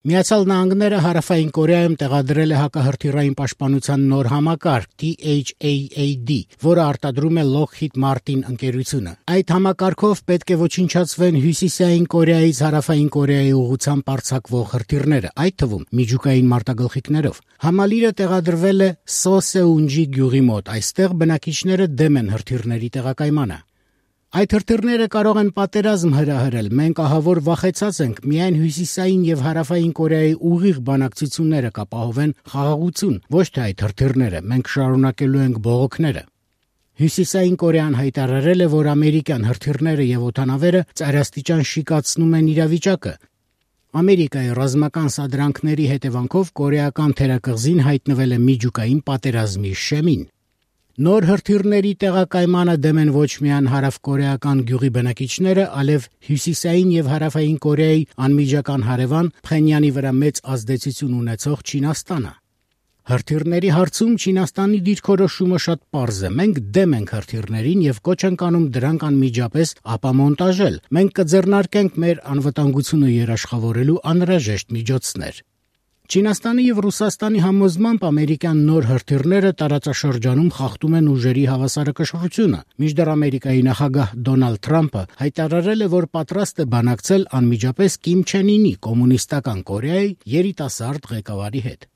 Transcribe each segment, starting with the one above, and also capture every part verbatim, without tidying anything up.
Միացյալ Նահանգները Հարավային Կորեայում տեղադրել է հակահրթիռային պաշտպանության նոր համակարգ T H A A D, որը արտադրում է Lockheed Martin ընկերությունը։ Այդ համակարգով պետք է ոչնչացվեն Հյուսիսային Կորեայից Հարավային Կորեայի ուղղությամբ արձակվող հրթիռները, այդ թվում միջուկային մարտագլխիկներով։ Համալիրը տեղադրվել է Սոսեունջի գյուղի մոտ, այստեղ բնակիչները դեմ են հրթիռների տեղակայմանը։ Այդ հրթիռները կարող են պատերազմ հրահրել, մենք ահավոր վախեցած ենք, միայն Հյուսիսային եւ Հարավային Կորեայի ուղիղ բանակցությունները կապահովեն խաղաղություն, ոչ թե այդ հրթիռները, մենք շարունակելու ենք բողոքները։ Հյուսիսային Կորեան հայտարարել է, որ ամերիկյան հրթիռները եւ օդանավերը ծայրաստիճան շիկացնում են իրավիճակը։ Ամերիկայի ռազմական սադրանքների հետևանքով կորեական թերակղզին հայտնվել է միջուկային պատերազմի շեմին։ Նոր հրթիռների տեղակայմանը դեմ են ոչ միայն հարավկորեական գյուղի բնակիչները, այլև Հյուսիսային եւ Հարավային Կորեայի անմիջական հարևան Փխենյանի վրա մեծ ազդեցություն ունեցող Չինաստանը։ Հրթիռների հարցում Չինաստանի դիրքորոշումը շատ պարզ է։ Մենք դեմ ենք հրթիռներին եւ կոչ ենք անում դրանք անմիջապես ապամոնտաժել։ Մենք կձեռնարկենք մեր անվտանգությունը երաշխավորելու անհրաժեշտ միջոցներ։ Չինաստանի եւ Ռուսաստանի համոզմամբ ամերիկյան նոր հրթիռները տարածաշրջանում խախտում են ուժերի հավասարակշռությունը, մինչդեռ Ամերիկայի նախագահ Դոնալդ Թրամփը հայտարարել է, որ պատրաստ է բանակցել անմիջապես Կիմ Չեն Ինի կոմունիստական Կորեայի երիտասարդ ղեկավարի հետ։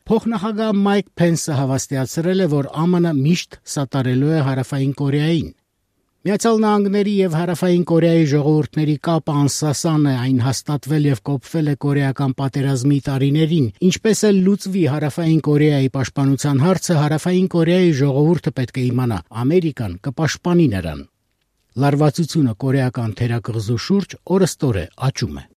Փոխնախագահ Մայք Փենսը հավաստիացրել է, որ Α Մ Ն միշտ սատարելու է Հարավային Կորեային։ Միացյալ Նահանգների եւ Հարավային Կորեայի ժողովուրդների կապը անսասան է, այն հաստատվել եւ կոփվել է կորեական պատերազմի տարիներին, ինչպես էլ լուծվի Հարավային Կորեայի պաշտպանության հարցը, Հարավային Կորեայի ժողովուրդը պետք է իմանա, Ամերիկան կպաշտպանի նրան։ Լարվածությունը կորեական թերակղզու շուրջ օրըստօր է աճում է։